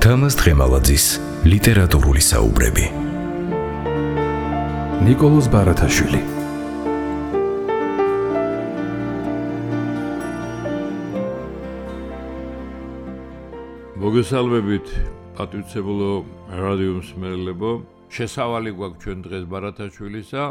თამაზ დღემალაძის ლიტერატურული საუბრები. ნიკოლოზ ბარათაშვილი. მოგესალმებით, პატივისცემულო რადიო მსმენელებო. შესავალი გვაქვს ჩვენ დღეს ბარათაშვილისა,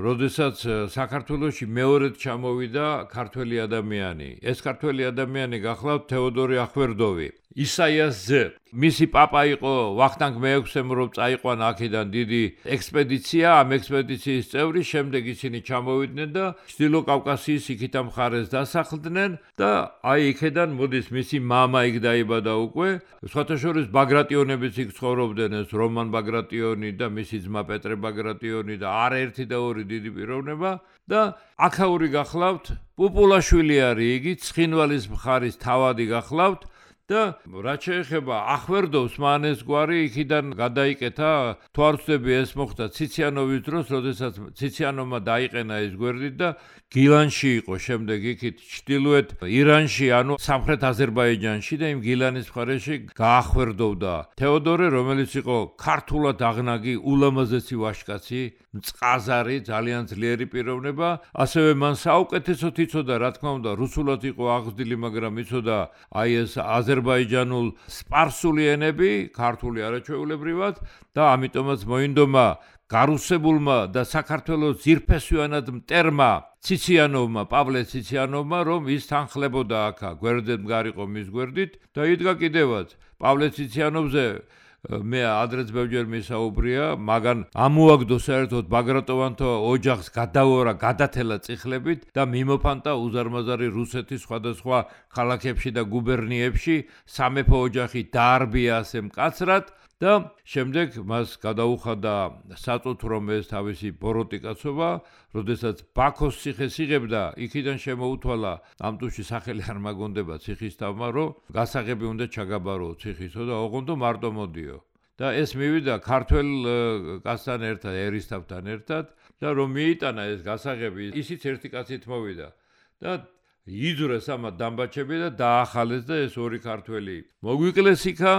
როდესაც საქართველოში მეორედ ჩამოვიდა ქართველი ადამიანი. ეს ქართველი ადამიანი გახლავთ თეოდორე ახვერდოვი. ისაიას ძე. მისი პაპა იყო ვახტანგ მე-6-ემ, რომ წაიყვანა აქედან დიდი ექსპედიცია, ამ ექსპედიციის წევრი, შემდეგ ისინი ჩამოვიდნენ და ჩრდილო კავკასიის იქით ამ მხარეს დასახლდნენ და აი იქედან მოდის მისი მამა იქ დაიბადა უკვე. სხვათა შორის ბაგრატიონებიც იქ ცხოვრობდნენ, ეს რომან ბაგრატიონი და მისი ძმა პეტრე ბაგრატიონი და არაერთი და ორი დიდი პიროვნება და აქაური გახლავთ, პუპულაშვილი არის იგი, ცხინვალის მხარის თავადი გახლავთ. და რაც შეეხება ახვერდოვს, მან ეს გვარი იქიდან გადაიკეთა, თუ არ ვცდები ეს მოხდა ციციანოვის დროს, როდესაც ციციანოვმა დაიყენა ეს გვერდით და გილანში იყო შემდეგ იქით ჩრდილოეთ ირანში, ანუ სამხრეთ აზერბაიჯანში და იმ გილანის მხარეში გაახვერდოვდა თეოდორე, რომელიც იყო ქართულად აღნაგი ულამაზესი ვაჟკაცი, მწყაზარი, ძალიან ძლიერი პიროვნება, ასევე მან საუკეთესოდ იცოდა, რა თქმა უნდა, რუსულად იყო აღზრდილი, მაგრამ იცოდა აი ეს აზერბაიჯანულ სპარსული ენები, ქართული არაჩვეულებრივად და ამიტომაც მოინდომა გარუსებულმა და საქართველოს ძირფესვიანად მტერმა ციციანოვმა, პავლე ციციანოვმა, რომ ის თანხლებოდა აქა, გვერდით მგარიყო მის გვერდით და იდგა კიდევაც პავლე ციციანოვზე მე ადრეც ბევრჯერ მისაუბრია, მაგან ამოაგდო საერთოდ ბაგრატოვანთა ოჯახს გადაორა გადათელა წიხლებით და მიმოფანტა უზარმაზარი რუსეთის სხვადასხვა ქალაქებში და გუბერნიებში, სამეფო ოჯახი დაარბია ასე მკაცრად და შემდეგ მას გადაუხადა საწუთრო რომ ეს თავისი ბოროტი კაცობა, როდესაც ბაქოს ციხეს იღებდა, იქიდან შემოუთვალა ამ თუში სახელი არ მაგონდება ციხის თავმა, რომ გასაღები უნდა ჩაგაბარო ციხისო და ოღონდ მარტო მოდიო. და ეს მივიდა ქართველ კაცთან ერთად, ერისთავთან ერთად და რომ მიიტანა ეს გასაღები, ისიც ერთი კაცით მოვიდა და იძრეს ამათ დამბაჩები და დაახალეს და ეს ორი ქართველი მოგვიკლეს იქა,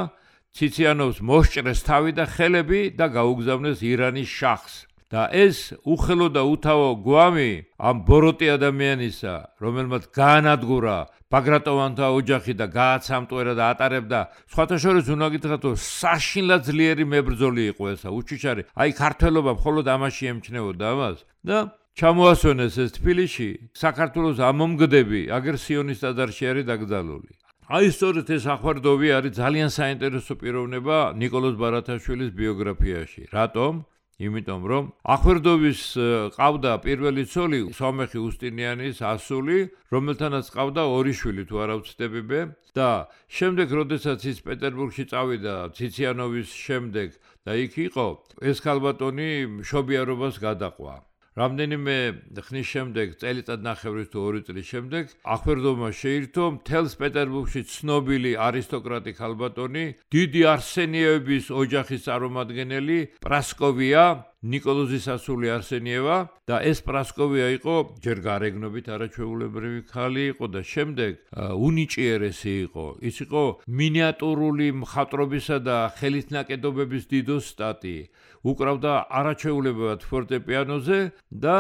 ციციანოვს მოსჭრეს თავი და ხელები და გაუგზავნეს ირანის შახს. და ეს უხელო და უთავო გვამი ამ ბოროტი ადამიანისა, რომელმაც გაანადგურა ბაგრატოვანთა ოჯახი და გააცამტვერა და ატარებდა, სხვათა შორის უნდა გითხრათ, რომ საშინლად ძლიერი მებრძოლი იყო ესა, უჩიჩარი. აი ქართველობა მხოლოდ ამაში ემჩნეოდა ამას და ჩამოასვენეს ეს თბილისში, საქართველოს ამომგდები აგრესიონის ტაძარში არის დაკრძალული. აი სწორედ ეს ახვერდოვი არის ძალიან საინტერესო პიროვნება ნიკოლოზ ბარათაშვილის ბიოგრაფიაში. რატომ? იმიტომ რომ ახვერდოვის ყავდა პირველი ცოლი სომეხი უსტინიანის ასული, რომელთანაც ყავდა ორი შვილი, თუ არ ვცდები მე და შემდეგ როდესაც ის პეტერბურგში წავიდა ციციანოვის შემდეგ და იქ იყო, ეს ქალბატონი მშობიარობას გადაყვა. რამდენიმე ხნის შემდეგ, წელიწადნახევრის თუ 2 წლის შემდეგ, ახვერდოვმა შეირთო მთელს პეტერბურგში ცნობილი არისტოკრატი ქალბატონი, დიდი არსენიევების ოჯახის წარმომადგენელი პრასკოვია, ნიკოლოზის ასული არსენიევა და ეს პრასკოვია იყო ჯერ გარეგნობით არაჩვეულებრივი ქალი იყო და შემდეგ უნიჭიერესი იყო. ის იყო მინიატურული მხატვრობისა და ხელით ნაკეთობების დიდოსტატი. უკრავდა არაჩვეულებრივად ფორტეპიანოზე და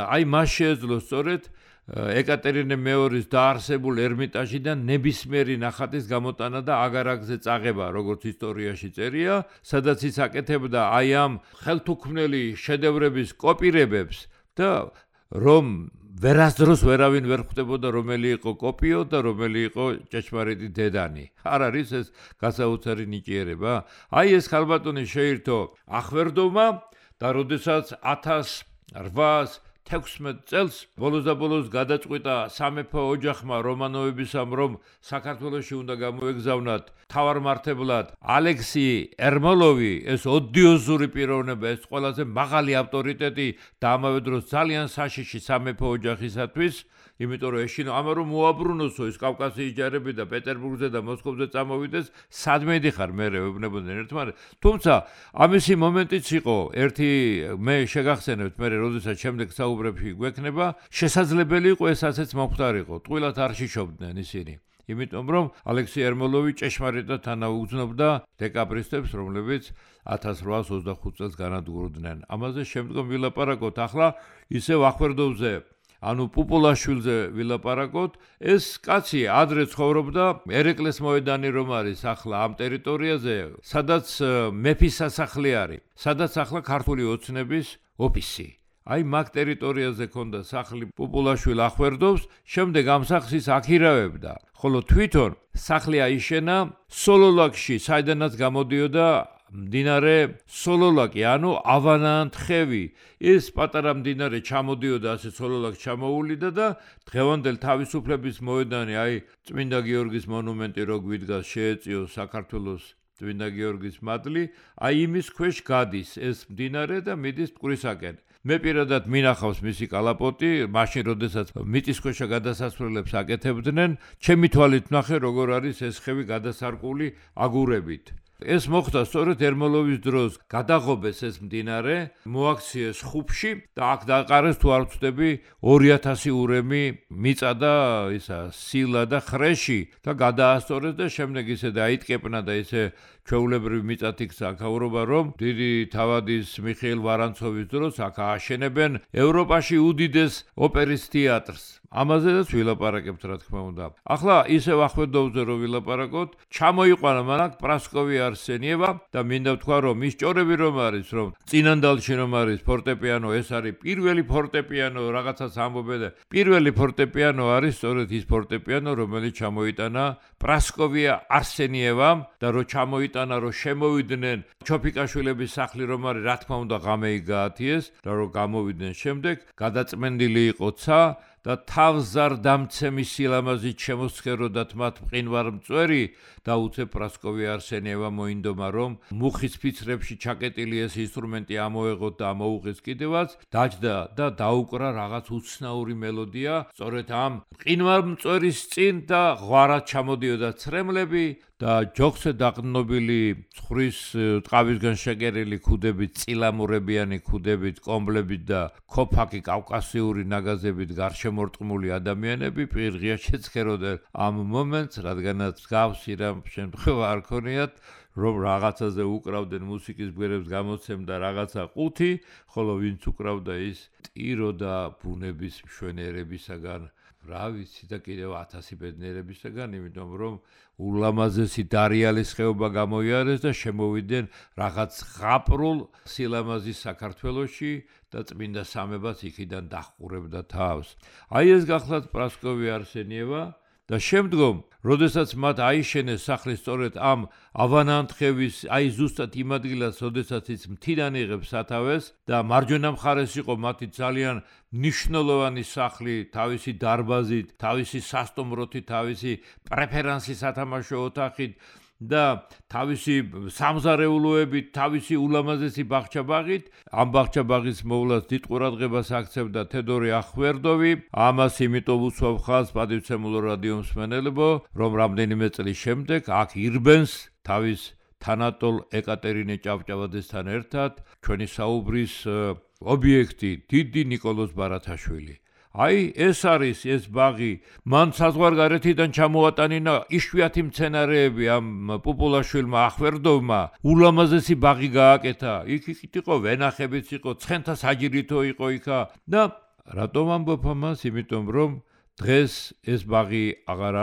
აი მას შეეძლო სწორედ ეკატერინე მეორის დაარსებულ ერმიტაჟიდან ნებისმიერი ნახატის გამოტანა და აგარაკზე წაღება, როგორც ისტორიაში წერია, სადაც ის აკეთებდა აი ამ ხელთუქმნელი შედევრების კოპირებებს და რომ ვერასდროს ვერავინ ვერ ხვდებოდა რომელი იყო კოპიო და რომელი იყო ჭეშმარიტი დედანი. არ არის ეს გასაოცარი ნიჭიერება? აი ეს ქალბატონი შეირთო ახვერდოვმა და როდესაც 1816 წელს ბოლოს გადაწყვიტა სამეფო ოჯახმა რომანოვებისამ, რომ საქართველოში უნდა გამოეგზავნათ თავარმართებლად ალექსი ერმოლოვი, ეს ოდიოზური პიროვნება, ეს ყველაზე მაღალი ავტორიტეტი და ამავე დროს ძალიან საშიში სამეფო ოჯახისათვის, იმიტომ რომ ეშინო ამა რომ მოაბრუნოსო ის კავკასიის ჯარები და პეტერბურგზე და მოსკოვზე წამოვიდეს, სადმე იდიხარ მერე ვებნებოდნენ ერთმანეთს. თუმცა ამისი მომენტიც იყო, ერთი მე შეგახსენებთ მერე, როდესაც შემდეგ საუბრებში გვექნება, შესაძლებელი იყო ეს ასეც მომხდარიყო, ტყუილად არ შიშობდნენ ისინი. იმიტომ რომ ალექსი ერმოლოვი ჭეშმარიტად თანაუგრძნობდა დეკაბრისტებს, რომლებიც 1825 წელს განადგურდნენ. ამაზე შემდგომ ვილაპარაკოთ. ახლა ისევ ახვერდოვზე ანუ პუპულაშვილზე ვილაპარაკოთ. ეს კაცი ადრე ცხოვრობდა ერეკლეს მოედანი რომ არის ახლა ამ ტერიტორიაზე, სადაც მეფის სასახლე არის, სადაც ახლა ქართული ოცნების ოფისი. აი მაგ ტერიტორიაზე ქონდა სახლი პუპულაშვილი ახვერდოვს, შემდეგ ამ სახლს ის აქირავებდა. ხოლო თვითონ სახლი აიშენა სოლოლაკში, საიდანაც გამოდიოდა მდინარე სოლოლაკი, ანუ ავანანთხევი. ეს პატარა მდინარე ჩამოდიოდა ასე სოლოლაკს ჩამოულიდა და დღევანდელ თავისუფლების მოედანი, აი წმინდა გიორგის მონუმენტი რო გვიდგას, შეეწიო საქართველოს წმინდა გიორგის მადლი, აი იმის ქვეშ გადის ეს მდინარე და მიდის მტკვრისაკენ. მე პირადად მინახავს მისი კალაპოტი, მაშინ როდესაც მიწისქვეშა გადასასვლელებს აკეთებდნენ, ჩემი თვალით ვნახე როგორ არის ეს ხევი გადასარკული აგურებით. ეს მოხდა სწორედ ერმოლოვის დროს გადაღობეს ეს მდინარე, მოაქციეს ხუბში და აქ დაყარეს თუ არ ვცდები 2000 ურემი მიწა და ისა სილა და ხრეში და გადაასწორეს და შემდეგ ისე დაიტკეპნა და ისე ჩვეულებრივი მიწათი აქაურობა რომ დიდი თავადის მიხეილ ვარანცოვის დროს აქ ააშენებენ ევროპაში უდიდეს ოპერის თეატრს. ამაზეც ვილაპარაკებთ რა თქმა უნდა. ახლა ისევ ახვედოვზე რომ ვილაპარაკოთ, ჩამოიყვანა მანაკ პრასკოვი არსენიევა და მინდა ვთქვა რომ ის ჭორები რომ არის, რომ წინანდალში რომ არის ფორტეპიანო, ეს არის პირველი ფორტეპიანო, რაღაცას ამბობენ და პირველი ფორტეპიანო არის სწორედ ის ფორტეპიანო, რომელიც ჩამოიტანა პრასკოვია არსენიევამ და რომ ჩამოიტანა, რომ შემოვიდნენ ჩოფიკაშვილების სახლი რომ არის, რა თქმა უნდა ღამეი გაათიეს და რომ გამოვიდნენ შემდეგ, გადაწმენდილი იყო ცა და თავზარ დამცემი სილამაზით შემოსხეროდათ მათ მყინვარ მწვერი და უცებ პრასკოვი არსენიევა მოინდომა რომ მუხის ფიცრებში ჩაკეტილი ეს ინსტრუმენტი ამოეღოთ და ამოუღეს კიდევაც, დაჯდა და დაუკრა რაღაც უცნაური მელოდია სწორედ ამ მყინვარ მწვერის წინ და ღვარად ჩამოდიოდა ცრემლები და ჯოხზე დაყრდნობილი ცხრის ტყავისგან შეკერილი ქუდებით, წილამურებიანი ქუდებით, კომბლებით და ქოფაკი კავკასიური ნაგაზებით გარშემორტყმული ადამიანები პირღია შეცხეროდნენ ამ მომენტს, რადგანაც გავსი რამ შემთხვევა არ ქონიათ, რომ რაღაცაზე უკრავდნენ მუსიკის გვერებს გამოცემდა რაღაცა ყუთი, ხოლო ვინც უკრავდა ის ტირო და ბუნების მშვენიერებისაგან რა ვიცი და კიდევ 1000 ბედნიერებისაგან, იმიტომ რომ ულამაზესი დარიალის ხეობა გამოიარეს და შემოვიდნენ რაღაც ღაპრულ სილამაზის საქართველოში და წმინდა სამებას იქიდან დაჰყურებდა თავს. აი ეს გახლავთ პრასკოვი არსენიევა და შემდგომ, როდესაც მათ აიშენეს სახლი სწორედ ამ ავანანთხევის, აი ზუსტად იმ ადგილას, როდესაც ის მთიდან იღებს სათავეს და მარჯვენა მხარეს იყო მათი ძალიან მნიშვნელოვანი სახლი, თავისი დარბაზით, თავისი სასტუმროთი, თავისი პრეფერანსი სათამაშო ოთახით და თავისი სამზარეულოებით, თავისი ულამაზესი ბაღჩაბაღით. ამ ბაღჩაბაღის მოვლას დიდ ყურადღებას აქცევდა თედორი ახვერდოვი. ამას იმიტომ უსვავ ხაზს პატივცემულო რადიო მსმენელებო, რომ რამდენიმე წლის შემდეგ აქ ირბენს თავის თანატოლ ეკატერინე ჭავჭავაძესთან ერთად ჩვენი საუბრის ობიექტი დიდი ნიკოლოზ ბარათაშვილი. აი ეს არის ეს ბაღი, მან საზღვარგარეთიდან ჩამოატანინა იშვიათი მცენარეები ამ პუპულაშვილმა ახვერდოვმა, ულამაზესი ბაღი გააკეთა. იქ იყო ვენახებიც იყო, ცხენთა საჯირითო იყო იქა და რატომ ამბობ ამას? იმიტომ რომ დღეს ეს ბაღი აღარ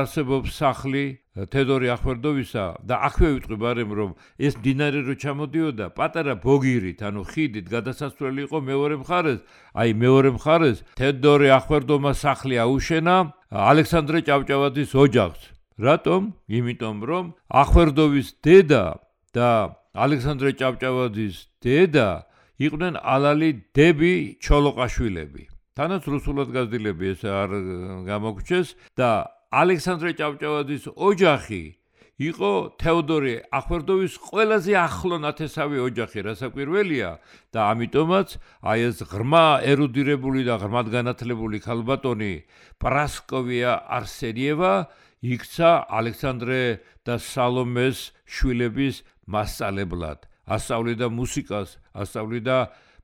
არსებობს სახლი თედორი ახვერდოვისა და აქვე ვიტყვი ბარემ რომ ეს მდინარე რო ჩამოდიოდა პატარა ბოგირით, ანუ ხიდით გადასასვლელი იყო მეორე მხარეს. აი მეორე მხარეს თედორი ახვერდოვმა სახლი აუშენა ალექსანდრე ჭავჭავაძის ოჯახს. რატომ? იმიტომ რომ ახვერდოვის დედა და ალექსანდრე ჭავჭავაძის დედა იყვნენ ალალი დები ჩოლოყაშვილები. თანაც რუსულად გაზრდილები ეს არ გამოგჩეს და ალექსანდრე ჭავჭავაძის ოჯახი იყო თეოდორი ახვერდოვის ყველაზე ახლო ნათესავი ოჯახი, რასაკვირველია და ამიტომაც აი ეს ღრმა ერუდირებული და ღრმად განათლებული ქალბატონი პრასკოვია არსენიევა იქცა ალექსანდრე და სალომეს შვილების მასწავლებლად. ასწავლიდა მუსიკას, ასწავლიდა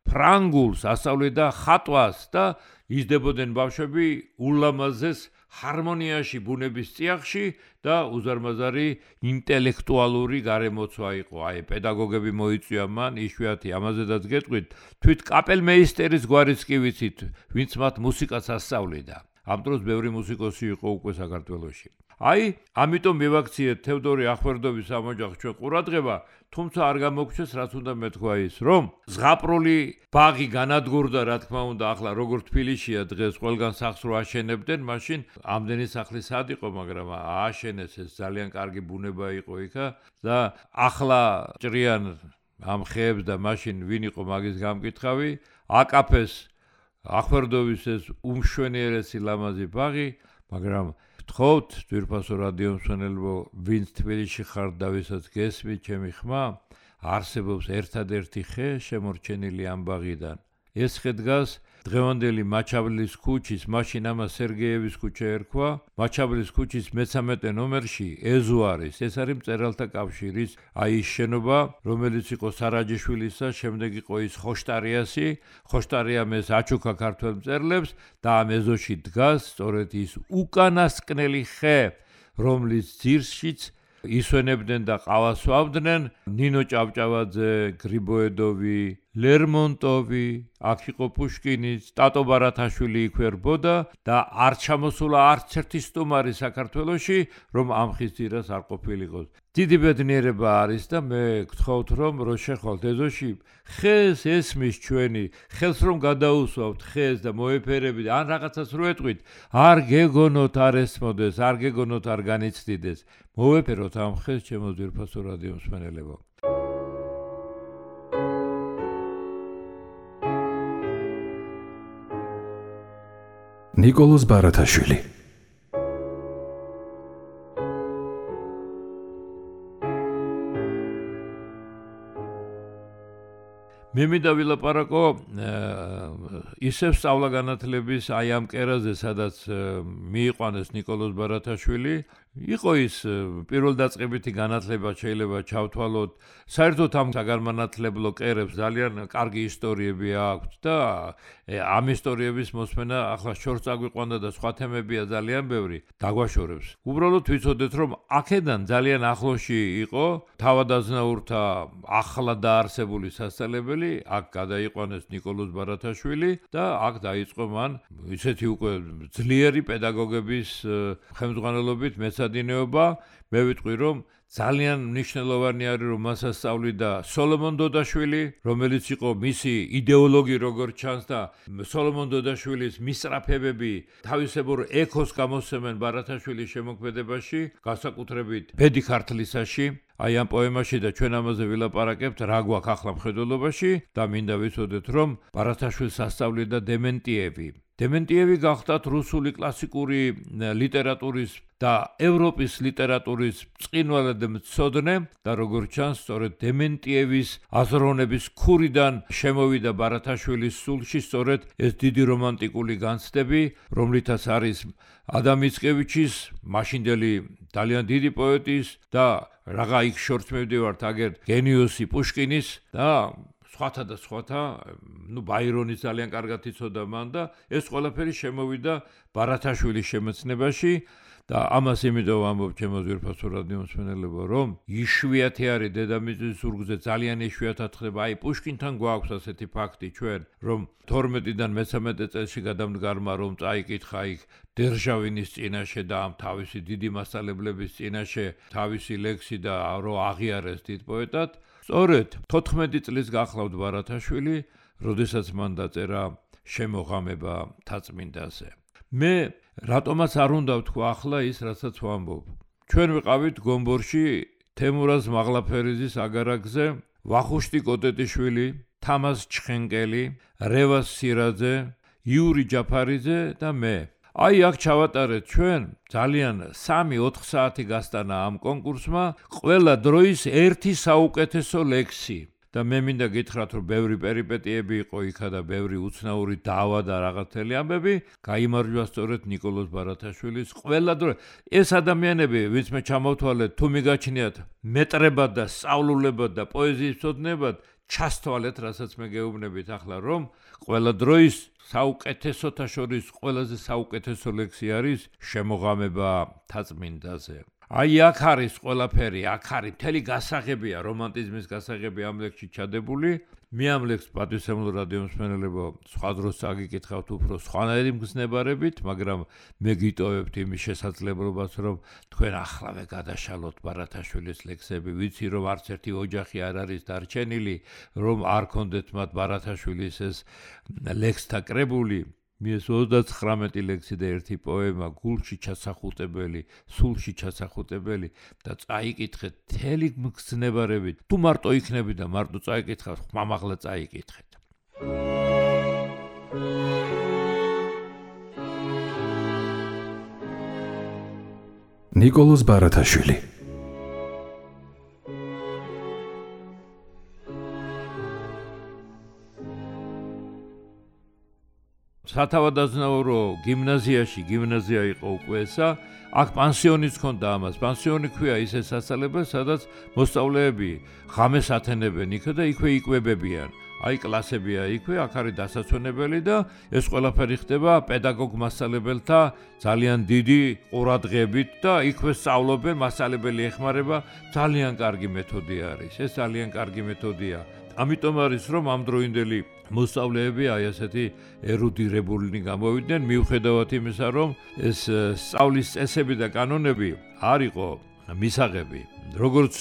ფრანგულს, ასწავლიდა ხატვას და იზრდებოდნენ ბავშვები ულამაზეს ჰარმონიაში ბუნების წიაღში და უზარმაზარი ინტელექტუალური გარემოცვა იყო. აი, პედაგოგები მოიწვია მან, იშვიათი ამაზედაც გეტყვით, თვით კაპელმეისტერის გვარიც კი ვიცით, ვინც მათ მუსიკას ასწავლიდა. ამ დროს ბევრი მუსიკოსი იყო უკვე საქართველოში. აი, ამიტომ მივაქციეთ თევდორე ახვერდოვის ამ ოჯახს ჩვენ ყურადღება, თუმცა არ გამოგვჩეს, რაც უნდა მეთქვა ის, რომ ზღაპრული ბაღი განადგურდა, რა თქმა უნდა, ახლა როგორ თბილისშია დღეს ყველგან სახლს რო აშენებდნენ, მაშინ ამდენი სახლი სად იყო, მაგრამ ააშენეს, ეს ძალიან კარგი ბუნება იყო იქა და ახლა ჭრიან ამ ხეებს და მაშინ ვინ იყო მაგის გამკითხავი, აკაფეს ახვერდოვის ეს უმშვენიერესი ლამაზი ბაღი, მაგრამ გთხოვთ, ძვირფასო რადიო მსმენელებო, ვინც თბილისში ხართ და ვისაც გესმით ჩემი ხმა, არსებობს ერთადერთი ხე შემორჩენილი ამ ბაღიდან. ეს ხე დგას დღევანდელი მაჩაბლის ქუჩის, მაშინ ამას სერგეევის ქუჩა ერქვა, მაჩაბლის ქუჩის მე-13 ნომერში ეზუარის, ეს არის მწერალთა კავშირის აი ის შენობა, რომელიც იყო სარაჯიშვილისა, შემდეგ იყო ის ხოშტარიასი, ხოშტარიამ ეს აჩუქა ქართველ მწერლებს და ამ ეზოში დგას სწორედ ის უკანასკნელი ხე, რომლის ძირშიც ისვენებდნენ და ყავას ვავდნენ ნინო ჭავჭავაძე, გრიბოედოვი, ლერმონტოვი, აქ იყო პუშკინიც, ტატო ბარათაშვილი იქ ვერბოდა და არ ჩამოსულა არც ერთი სტუმარი საქართველოში, რომ ამ ხის ძირას არ ყოფილიყოს. დიდი ბედნიერება არის და მე გთხოვთ, რომ რო შეხვალთ ეზოში, ხეს ესმის ჩვენი, ხელს რომ გადაუსვავთ ხეს და მოეფერებით, ან რაღაცას რო ეტყვით, არ გეგონოთ არ ესმოდეს, არ გეგონოთ არ განიცდიდეს. მოვეფეროთ ამ ხეს, ჩემო ძვირფასო რადიო მსმენელებო. ნიკოლოზ ბარათაშვილი. მე მინდა ვილაპარაკო ისევ სწავლა-განათლების აი ამ კერაზე, სადაც მიიყვანეს ნიკოლოზ ბარათაშვილი. იყო ის პირველდაწყებითი განათლება შეიძლება ჩავთვალოთ. საერთოდ ამ საგანმანათლებლო კერებს ძალიან კარგი ისტორიები აქვს და ამ ისტორიების მოსმენა ახლა შორს წაგვიყვანდა და სხვა თემებია ძალიან ბევრი, დაგვაშორებს. უბრალოდ ვიცოდეთ, რომ აქედან ძალიან ახლოში იყო თავადაზნაურთა ახლა დაარსებული სასწავლებელი, აქ გადაიყვანეს ნიკოლოზ ბარათაშვილი და აქ დაიწყო მან ისეთი უკვე ძლიერი პედაგოგების ხელმძღვანელობით მეცადინეობა. მე ვიტყვი, რომ ძალიან მნიშვნელოვანი არის, რომ მას ასწავლიდა სოლომონ დოდაშვილი, რომელიც იყო მისი იდეოლოგი როგორც ჩანს და სოლომონ დოდაშვილის მისწრაფებები თავისებურ ექოს გამოსცემენ ბარათაშვილის შემოქმედებაში, განსაკუთრებით ბედი ქართლისაში. აი ამ პოემაში და ჩვენ ამაზე ვილაპარაკებთ, რა გვაქვს ახლა მხედველობაში და მინდა ვიცოდეთ, რომ ბარათაშვილს ასწავლიდა დემენტიევი. დემენტიევი გახდათ რუსული კლასიკური ლიტერატურის და ევროპის ლიტერატურის ბრწყინვალე მცოდნე და როგორც ჩანს, სწორედ დემენტიევის აზროვნების ქურიდან შემოვიდა ბარათაშვილის სულში სწორედ ეს დიდი რომანტიკული განცდები, რომლითაც არის ადამ მიცკევიჩის, მაშინდელი ძალიან დიდი პოეტის და რაღა იქ შორს მივდივართ აგერ გენიოსი პუშკინის და სხვათა და სხვათა, ბაირონის ძალიან კარგად იცოდა მან და ეს ყველაფერი შემოვიდა ბარათაშვილის შემეცნებაში და ამას იმიტომ ვამბობ ჩემო ძვირფასო რადიო მსმენელებო, რომ იშვიათი არის დედამიწის ზურგზე, ძალიან იშვიათად ხდება. აი პუშკინთან გვაქვს ასეთი ფაქტი ჩვენ, რომ 12-დან მე-13 წელში გადამდგარმა რომ წაიკითხა იქ დერჟავინის წინაშე და ამ თავისი დიდი მასწავლებლების წინაშე თავისი ლექსი და რო აღიარეს დიდ პოეტად. სწორედ 14 წლის გახლავთ ბარათაშვილი, როდესაც მან დაწერა შემოღამება თაწმინდაზე. მე რატომაც არ უნდა ვთქვა ახლა ის, რასაც ვამბობ. ჩვენ ვიყავით გომბორში თემურაზ მაღლაფერიძის აგარაკზე, ვახუშტი კოტეტიშვილი, თამაზ ჩხენკელი, რევას სირაძე, იური ჯაფარიძე და მე. აი აქ ჩავატარეთ ჩვენ ძალიან 3-4 საათი გასტანა ამ კონკურსმა, ყველა დროის ერთი საუკეთესო ლექსი. და მე მინდა გითხრათ, რომ ბევრი პერიპეტიები იყო იქა და ბევრი უცნაური დავა და რაღაცელი ამბები, გაიმარჯვა სწორედ ნიკოლოზ ბარათაშვილის ყველა დრო. ეს ადამიანები, ვინც მე ჩამოვთვალეთ, თუ მიგაჩნიათ მეტრებად და სწავლულებად და პოეზიის მცოდნებად, ჩასთვალეთ, რასაც მე გეუბნებით ახლა, რომ ყველა დროის საუკეთესოთა შორის ყველაზე საუკეთესო ლექსი არის შემოღამება თაწმინდაზე. აი აქ არის ყველაფერი, აქ არის მთელი გასაღებია, რომანტიზმის გასაღები ამ ლექსში ჩადებული. მე ამ ლექსს პატივისცემლო რადიო მსმენელებო, სხვა დროს წაგიკითხავთ უფრო სხვანაირი მგზნებარებით, მაგრამ მე გიტოვებთ იმის შესაძლებლობას, რომ თქვენ ახლავე გადაშალოთ ბარათაშვილის ლექსები, ვიცი რომ არც ერთი ოჯახი არ არის დარჩენილი, რომ არ კონდეთ მათ ბარათაშვილის ეს ლექსთა კრებული. მის 39 ლექსი და ერთი პოემა გულში ჩასახუტებელი, სულში ჩასახუტებელი და წაიკითხეთ მთელი მგზნებარებით. თუ მარტო იქნები და მარტო წაიკითხავთ, ხმამაღლა წაიკითხეთ. ნიკოლოზ ბარათაშვილი. სათავადაზნაურო გიმნაზიაში, გიმნაზია იყო უკვე ესა, აქ პანსიონიც ჰქონდა ამას. პანსიონი ქვია ისე სასწავლებელი, სადაც მოსწავლეები ღამეს ათენებენ იქ და იქვე იკვებებიან. აი კლასებია იქვე, აქ არის დასასვენებელი და ეს ყველაფერი ხდება პედაგოგ მასწავლებელთა ძალიან დიდი ყურადღებით და იქვე სწავლობენ, მასწავლებელი ეხმარება, ძალიან კარგი მეთოდი არის. ეს ძალიან კარგი მეთოდია. ამიტომ არის რომ ამ დროინდელი მოსწავლეები აი ასეთი ერუდირებულნი გამოვიდნენ, მიუხედავად იმისა, რომ ეს სწავლის წესები და კანონები არ იყო მისაღები. როგორც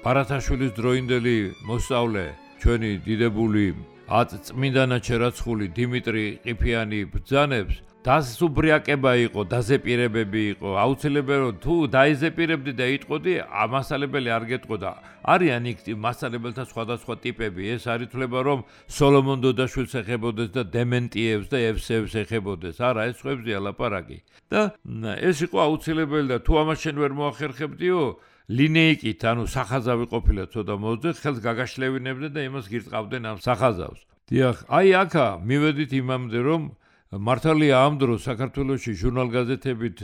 ბარათაშვილის დროინდელი მოსწავლე, ჩვენი დიდებული წმინდანად შერაცხული დიმიტრი ყიფიანი ბრძანებს, დასუბრიაკება იყო, დაზეპირებები იყო. აუცილებელი რომ თუ დაიზეპირებდი და იტყოდი, მასწავლებელი არ გეტყოდა. არიან იქ მასწავლებელთა სხვადასხვა ტიპები. ეს არ ითვლება რომ სოლომონ დოდაშვილს ეხებოდეს და დემენტიევს და ევსევს ეხებოდეს. არა, ეს ხვებზია ლაპარაკი. და ეს იყო აუცილებელი და თუ ამას შენ ვერ მოახერხებდიო, ლინეიკით, ანუ სახაზავი ყოფილა ცოტა მოძე, ხელს გაგაშლევინებდნენ და იმას გირწყავდნენ ამ სახაზავს. დიახ, აი აქა მივედით იმამდე რომ მართალია ამ დროს საქართველოში ჟურნალ-გაზეთებით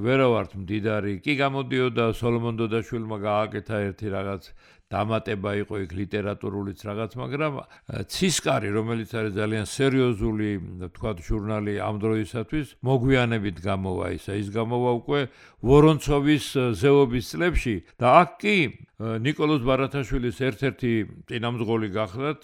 ვერავართ მდიდარი. კი გამოდიოდა სოლომონ დოდაშვილმა გააკეთა ერთი რაღაც დამატება იყო იქ ლიტერატურულიც რაღაც, მაგრამ ცისკარი, რომელიც არის ძალიან სერიოზული, თქვათ, ჟურნალი ამ დროისათვის, მოგვიანებით გამოვა ისა. ის გამოვა უკვე ვორონცოვის ზეობის წლებში და აქ კი ნიკოლოზ ბარათაშვილის ერთ-ერთი წინამძღოლი გახლდათ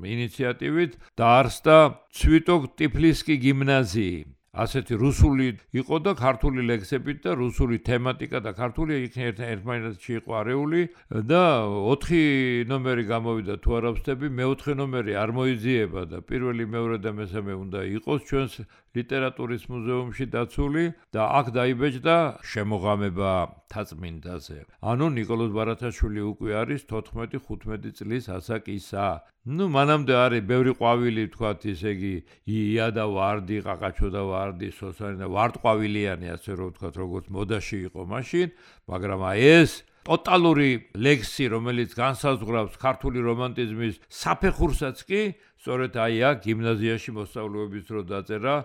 ინიციატივით დაარსდა ცვიტოკ ტიფლისკი გიმნაზიი. ასეთი რუსული იყო და ქართული ლექსებით და რუსული თემატიკა და ქართული ერთმანეთში იყო არეული და 4 ნომერი გამოვიდა თუ არ ვცდები, მე-4 ნომერი არ მოიძიება და პირველი, მეორე და მესამე უნდა იყოს ჩვენს ლიტერატურის მუზეუმში დაცული და აქ დაიბეჭდა შემოღამება თაწმინდაზე. ანუ ნიკოლოზ ბარათაშვილი უკვე არის 14-15 წლის ასაკისა. მანამდე არის ბევრი ყვავილი, თქვათ, ისე იგი ია და ვარდი, ყაყაჩო და ვარდი, სოსანი და ვარდყვავილიანი, ასე რომ ვთქვათ, როგორც მოდაში იყო მაშინ, მაგრამ აი ეს ტოტალური ლექსი, რომელიც განსაზღვრავს ქართული რომანტიზმის საფეხურსაც კი, სწორედ აი აქ გიმნაზიაში მოსწავლეობის დრო დაწერა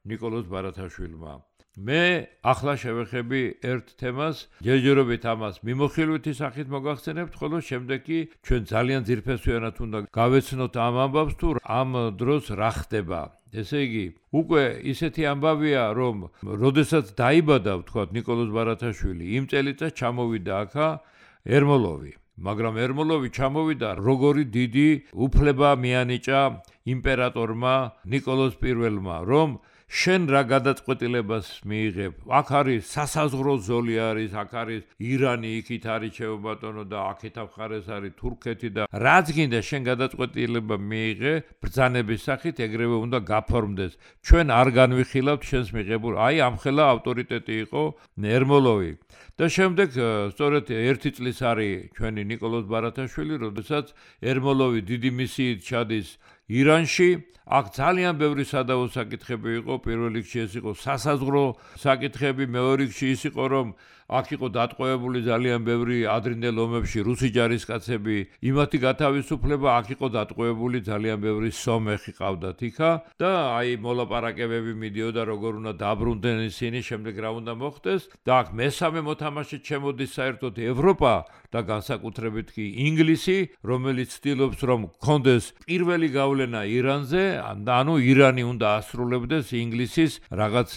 ნიკოლოზ ბარათაშვილმა. მე ახლა შევეხები ერთ თემას, ჯერჯერობით ამას მიმოხილვითი სახით მოგახსენებთ, ხოლო შემდეგ კი ჩვენ ძალიან ძირფესვიანად უნდა გავეცნოთ ამ ამბავს თუ ამ დროს რა ხდება. ესე იგი, უკვე ისეთი ამბავია, რომ როდესაც დაიბადა, ვთქვათ, ნიკოლოზ ბარათაშვილი, იმ წელიწადს ჩამოვიდა აქა ერმოლოვი. მაგრამ ერმოლოვი ჩამოვიდა როგორი დიდი უფლება მიანიჭა იმპერატორმა ნიკოლოზ პირველმა, რომ შენ რა გადაწყვეტილებას მიიღებ? აქ არის სასაზღვრო ზოლი არის, აქ არის ირანი, იქით არის ჩეუბატონო და აქეთ მხარეს არის თურქეთი და რაც გინდა შენ გადაწყვეტილება მიიღე ბრძანების სახით, ეგრევე უნდა გაფორმდეს. ჩვენ არ განვიხილავთ შენს მიღებულ. აი ამხელა ავტორიტეტი იყო ერმოლოვი. და შემდეგ სწორედ 1 წლის არის ჩვენი ნიკოლოზ ბარათაშვილი, როდესაც ერმოლოვი დიდი მისიით ჩადის ირანში. აქ ძალიან ბევრი სადავო საკითხები იყო, პირველ რიგში ეს იყო სასაზღვრო საკითხები, მეორე რიგში ის იყო, რომ აქ იყო დატყვევებული ძალიან ბევრი ადრინდელ ომებში რუსი ჯარისკაცები, იმათი გათავისუფლება, აქ იყო დატყვევებული ძალიან ბევრი სომეხი ყავდათ იქა და აი მოლაპარაკებები მიდიოდა როგორ უნდა დაბრუნდნენ ისინი, შემდეგ რა უნდა მოხდეს და აქ მესამე მოთამაშედ შემოდის საერთოდ ევროპა და განსაკუთრებით კი ინგლისი, რომელიც ცდილობს რომ გქონდეს პირველი გავლენა ირანზე, ანუ ირანი უნდა ასრულებდეს ინგლისის რაღაც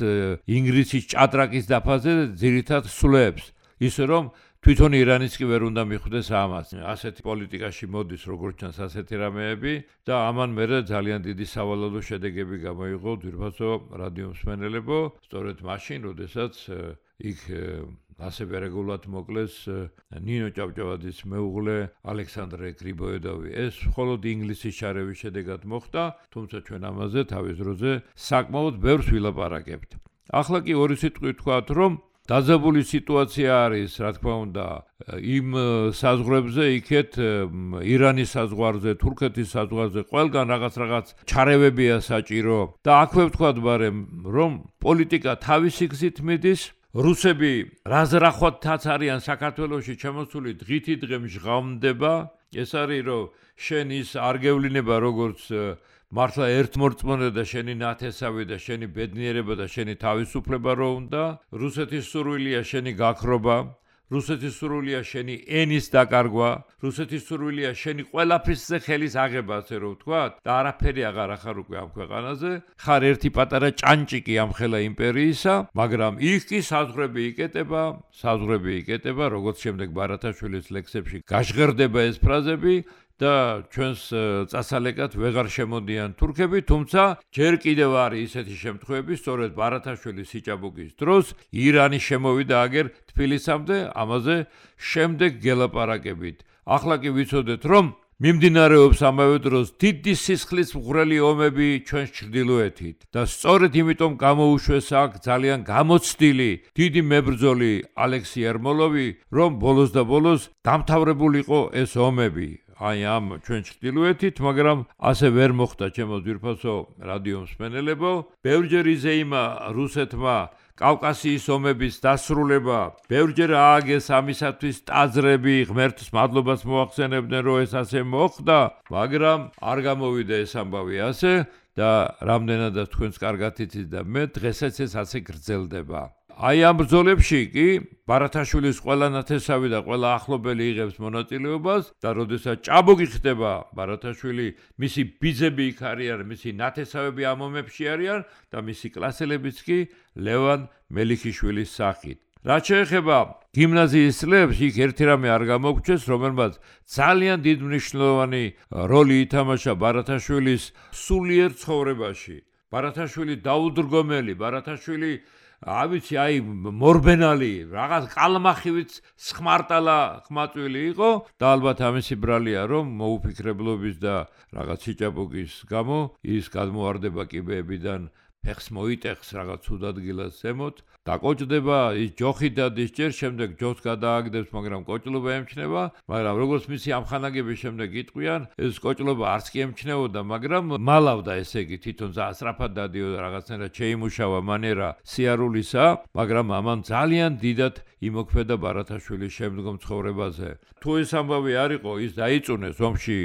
ინგლისის ჭადრაკის დაფაზე ძირითად სვლებს, ისე რომ თვითონ ირანიც კი ვერ უნდა მიხვდეს ამას. ასეთი პოლიტიკაში მოდის როგორც ჩანს ასეთი რამეები და ამან მერე ძალიან დიდი სავალალო შედეგები გამოიღო ძვირფასო რადიო მსმენელებო, სწორედ მაშინ, როდესაც იქ ასევე რეგულარულად მოკლეს ნინო ჭავჭავაძის მეუღლე ალექსანდრე გრიბოედოვი. ეს მხოლოდ ინგლისის შარევის შედეგად მოხდა, თუმცა ჩვენ ამაზე თავის დროზე საკმაოდ ბევრს ვილაპარაკებთ. ახლა კი ორი სიტყვით ვთქვათ, რომ დაძაბული სიტუაცია არის, რა თქმა უნდა, იმ საზღვრებზე, იქეთ ირანის საზღვარზე, თურქეთის საზღვარზე, ყველგან რაღაც ჩარევებია საჭირო და აქვე ვთქვათ ბარემ, რომ პოლიტიკა თავისი გზით მიდის. რუსები რაზრახვათაც არიან საქართველოში ჩამოსული დღითი დღე მჟღავნდება. ეს არის რომ შენ ის არ გევლინება როგორც მართლა ერთმორწმუნე და შენი ნათესავი და შენი ბედნიერება და შენი თავისუფლება რო უნდა. რუსეთის სურვილია შენი გაქრობა, რუსეთის სურვილია შენი ენის დაკარგვა, რუსეთის სურვილია შენი ყველაფრისზე ხელის აღება, ასე რომ ვთქვათ, და არაფერი აღარ ახარ უკვე ამ ქვეყანაზე. ხარ ერთი პატარა ჭანჭიკი ამ ხელა იმპერიისა, მაგრამ იქ კი საზღვრები იკეტება, როგორც შემდეგ ბარათაშვილის ლექსებში გაჟღერდება ეს ფრაზები. და ჩვენს წასალეკად ვეღარ შემოდიან თურქები, თუმცა ჯერ კიდევ არის ისეთი შემთხვევები, სწორედ ბარათაშვილის სიჭაბუკის დროს ირანი შემოვიდა აგერ თბილისამდე, ამაზე შემდეგ გელაპარაკებით. ახლა კი ვიცოდეთ, რომ მიმდინარეობს ამავე დროს დიდი სისხლის მღვრელი ომები ჩვენს ჩრდილოეთით და სწორედ იმიტომ გამოუშვეს აქ ძალიან გამოცდილი დიდი მებრძოლი ალექსი ერმოლოვი, რომ ბოლოს და ბოლოს დამთავრებულიყო ეს ომები. აი ამ ჩვენ ჩრდილოეთით, მაგრამ ასე ვერ მოხდა ჩემო ძვირფასო რადიო მსმენელებო. ბევრჯერ იზეიმა რუსეთმა კავკასიის ომების დასრულება, ბევრჯერ ააგეს ამისათვის ტაძრები, ღმერთს მადლობას მოახსენებდნენ, რომ ეს ასე მოხდა, მაგრამ არ გამოვიდა ეს ამბავი ასე და რამდენადაც თქვენს კარგად იცით და მე დღესაც ეს ასე გრძელდება. აი ამ ბრძოლებში კი ბარათაშვილის ყველა ნათესავი და ყველა ახლობელი იღებს მონაწილეობას და როდესაც ჭაბუკი ხდება ბარათაშვილი, მისი ბიძები იქ არიან, მისი ნათესავები ამ ომებში არიან და მისი კლასელებიც კი ლევან მელიქიშვილის სახით. რაც შეეხება გიმნაზიის წლებს, იქ ერთი რამე არ გამოგჩეს, რომელმაც ძალიან დიდ მნიშვნელოვანი როლი ითამაშა ბარათაშვილის სულიერ ცხოვრებაში. ბარათაშვილი დაუდრგომელი, ბარათაშვილი ავიცი აი მორბენალი, რაღაც კალმახივიც სხმარტალა ხმაწვილი იყო და ალბათ ამისი ბრალია, რომ მოუფიქრებლობის და რაღაც სიჭაბუკის გამო ის გადმოარდება კიბეებიდან ფეხს მოიტეხს რაღაც ცუდ ადგილას ზემოთ, დაკოჭდება, ის ჯოხი დადის, ჯერ შემდეგ ჯოხს გადააგდებს, მაგრამ კოჭლობა ემჩნევა, მაგრამ როგორც მისი ამხანაგების შემდეგ იტყვიან, ეს კოჭლობა არც კი ემჩნეოდა, მაგრამ მალავდა, ესე იგი, თვითონ სწრაფად დადიოდა, რაღაცნაირად შეიმუშავა მანერა სიარულისა, მაგრამ ამან ძალიან დიდად იმოქმედა ბარათაშვილის შემდგომ ცხოვრებაზე. თუ ეს ამბავი არ იყო, ის დაიწუნეს ომში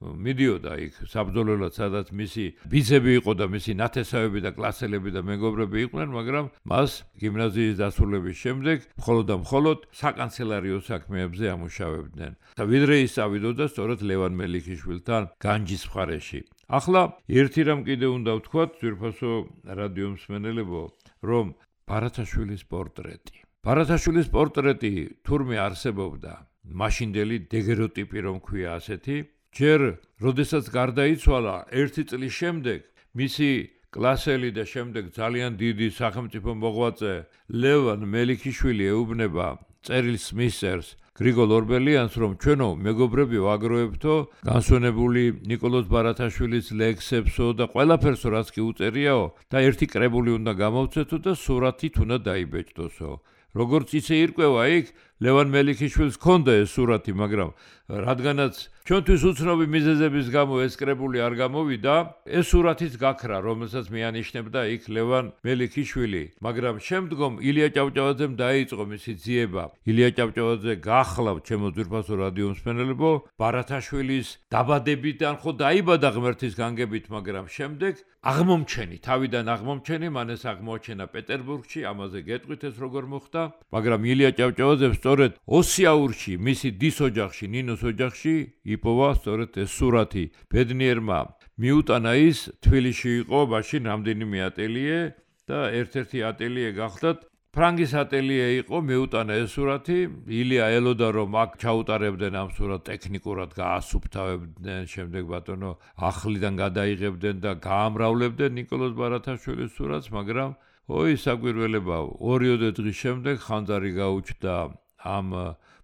მიდიოდა იქ საბრძოლველად, სადაც მისი ბიძები იყო და მისი ნათესავები და კლასელები და მეგობრები იყვნენ, მაგრამ მას გიმნაზიის დასრულების შემდეგ მხოლოდ საკანცელერიო საქმეებზე ამუშავებდნენ. და ვიდრე ის წავიდოდა სწორედ ლევან მელიქიშვილთან განჯის მხარეში. ახლა ერთი რამ კიდე უნდა ვთქვათ, ძვირფასო რადიო მსმენელებო, რომ ბარათაშვილის პორტრეტი. ბარათაშვილის პორტრეტი თურმე არსებობდა, მაშინდელი დეგეროტიპი რომ ქვია ასეთი. ჯერ როდესაც გარდაიცვალა, ერთი წლის შემდეგ მისი კლასელი და შემდეგ ძალიან დიდი სახელმწიფო მოღვაწე ლევან მელიქიშვილი ეუბნება წერილს მისწერს გრიგოლ ორბელიანს, რომ ჩვენო მეგობრები ვაგროვებთო განსვენებული ნიკოლოზ ბარათაშვილის ლექსებსო და ყველაფერსო რაც კი უწერიაო და ერთი კრებული უნდა გამოვცეთო და სურათით უნდა დაიბეჭდოსო. როგორც ისე ირკვევა იქ, ლევან მელიქიშვილს ჰქონდა ეს სურათი, მაგრამ რადგანაც ჩვენთვის უცნობი მიზეზების გამო ეს კრებული არ გამოვიდა, ეს სურათიც გაქრა, რომელსაც მეანიშნებდა იქ ლევან მელიქიშვილი, მაგრამ შემდგომ ილია ჭავჭავაძემ დაიწყო მისი ძიება. ილია ჭავჭავაძე გახლავთ ჩემო ძვირფასო რადიო მსმენელებო, ბარათაშვილის დაბადებიდან ხო დაიბადა ღმერთის განგებით, მაგრამ შემდეგ აღმომჩენი, თავიდან აღმომჩენი, მან ეს აღმოაჩენა პეტერბურგში, ამაზე გეტყვით ეს როგორ მოხდა, მაგრამ ილია ჭავჭავაძემ სწორედ ოსიაურში, მისი დის ოჯახში, ნინოს ოჯახში იპოვა სწორედ ეს სურათი. ბედნიერმა მიუტანა ის, თბილისში იყო მაშინ რამდენიმე ატელიე და ერთ-ერთი ატელიე გახლდათ ფრანგის ატელიე იყო, მიუტანა ეს სურათი, ილია ელოდა რომ აქ ჩაუტარებდნენ ამ სურათს ტექნიკურად გაასუფთავებდნენ, შემდეგ ბატონო ახლიდან გადაიღებდნენ და გაამრავლებდნენ ნიკოლოზ ბარათაშვილის სურათს, მაგრამ ой, საკვირველებაო, 2 დღის შემდეგ ხანძარი გაუჩნდა ამ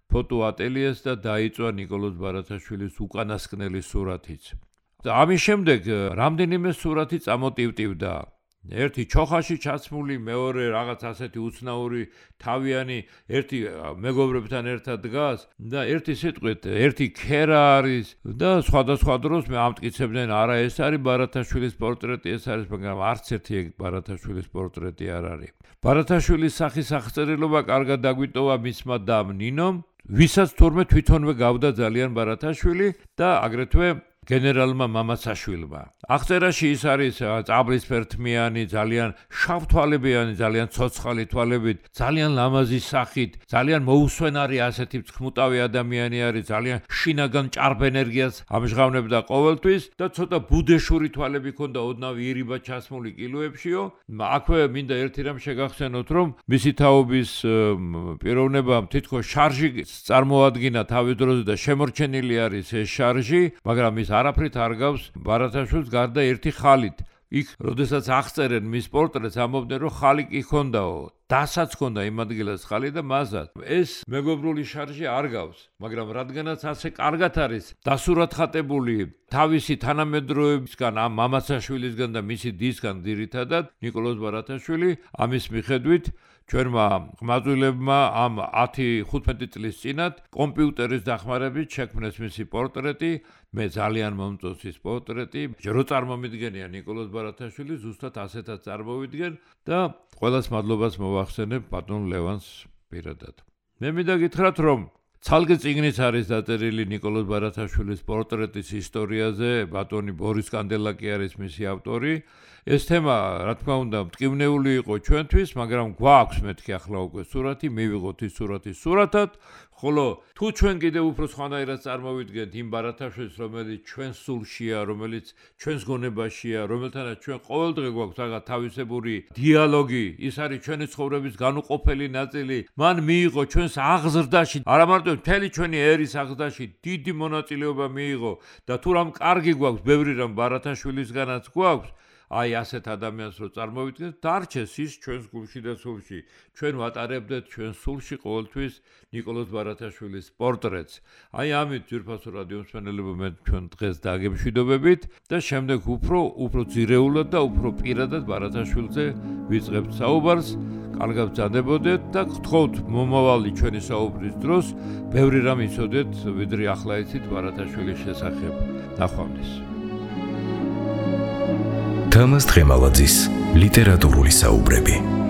ფოტო ატელიეს და დაიწვა ნიკოლოზ ბარათაშვილის უკანასკნელი სურათიც. ამის შემდეგ რამდენიმე სურათი წამოტივტივდა. ერთი ჩოხაში ჩაცმული, მეორე რაღაც ასეთი უცნაური თავიანი, ერთი მეგობრებთან ერთად დგას და ერთი სიტყვით, ერთი ქერა არის და სხვადასხვა დროს მე ამტკიცებდნენ, არა ეს არის ბარათაშვილის პორტრეტი, ეს არის, მაგრამ არც ერთი ბარათაშვილის პორტრეტი არ არის. ბარათაშვილის სახის აღწერილობა კარგად დაგვიტოვა მისმა დამ ნინომ, ვისაც თურმე თვითონვე გავდა ძალიან ბარათაშვილი და აგრეთვე გენერალმა მამაცაშვილმა. აღწერაში ის არის წაბლისფერთმიანი, ძალიან შავთვალებიანი, ძალიან ცოცხალი თვალებით, ძალიან ლამაზი სახით, ძალიან მოუსვენარი ასეთი ცხმუტავი ადამიანი არის, ძალიან შინაგან ჭარბ ენერგიას ამჟღავნებდა ყოველთვის და ცოტა ბუდეშური თვალები ჰქონდა, ოდნავ ირიბად ჩასმული კილოებშიო. აქვე მინდა ერთი რამ შეგახსენოთ, რომ მისი თაობის პიროვნებამ თითქოს შარჟი წარმოადგინა თავის დროზე და შემორჩენილი არის ეს შარჟი, მაგრამ ის არაფრით არ გავს ბარათაშვილს გარდა ერთი ხალით. იქ, როდესაც აღწერენ მის პორტრეტს, ამბობდნენ, რომ ხალი კი ჰქონდაო. დასაც ჰქონდა იმ ადგილას ხალი და მასაც. ეს მეგობრული შარჟი არ გავს, მაგრამ რადგანაც ასე კარგად არის დასურათხატებული თავისი თანამედროვეებისგან, ამ მამაცაშვილისგან და მისი დისგან ძირითადად, ნიკოლოზ ბარათაშვილი, ამის მიხედვით ჩვენმა ყმაწვილებმა ამ 10-15 წლის წინათ კომპიუტერის დახმარებით შექმნეს მისი პორტრეტი, მე ძალიან მომწონს ის პორტრეტი, რო წარმომიდგენია ნიკოლოზ ბარათაშვილი, ზუსტად ასეთაც წარმოვიდგენ და ყველას მადლობას მოვახსენებ ბატონ ლევანს პირადად. მე მინდა გითხრათ, რომ ცალკე წიგნიც არის დაწერილი ნიკოლოზ ბარათაშვილის პორტრეტის ისტორიაზე, ბატონი ბორის კანდელაკი არის მისი ავტორი. ეს თემა, რა თქმა უნდა, მტკივნეული იყო ჩვენთვის, მაგრამ გვაქვს მეთქი ახლა უკვე სურათი, მივიღოთ ის სურათი სურათად, ხოლო თუ ჩვენ კიდევ უფრო სხვანაირად წარმოვიდგენთ იმ ბარათაშვილს, რომელიც ჩვენ სულშია, რომელიც ჩვენს გონებაშია, რომელთანაც ჩვენ ყოველდღე გვაქვს რაღაც თავისებური დიალოგი, ის არის ჩვენი ცხოვრების განუყოფელი ნაწილი, მან მიიღო ჩვენს აღზრდაში, არა მარტო მთელი ჩვენი ერის აღზრდაში დიდი მონაწილეობა მიიღო და თუ რამ კარგი გვაქვს, ბევრი რამ ბარათაშვილისგანაც გვაქვს, აი ასეთ ადამიანს რო წარმოვიდგენთ, დარჩეს ის ჩვენს გულში და სულში. ჩვენ ვატარებდეთ ჩვენ სულში ყოველთვის ნიკოლოზ ბარათაშვილის პორტრეტს. აი ამით ძვირფასო რადიო მსმენელებო, მე ჩვენ დღეს დაგემშვიდობებით და შემდეგ უფრო ძირეულად და უფრო პირადად ბარათაშვილზე ვიწყებთ საუბარს. კარგად ბრძანდებოდეთ და გთხოვთ მომავალი ჩვენი საუბრის დროს ბევრი რამ იცოდეთ, ვიდრე ახლა იცით ბარათაშვილის შესახებ. ნახვამდის. თამაზ დღემალაძის ლიტერატურული საუბრები.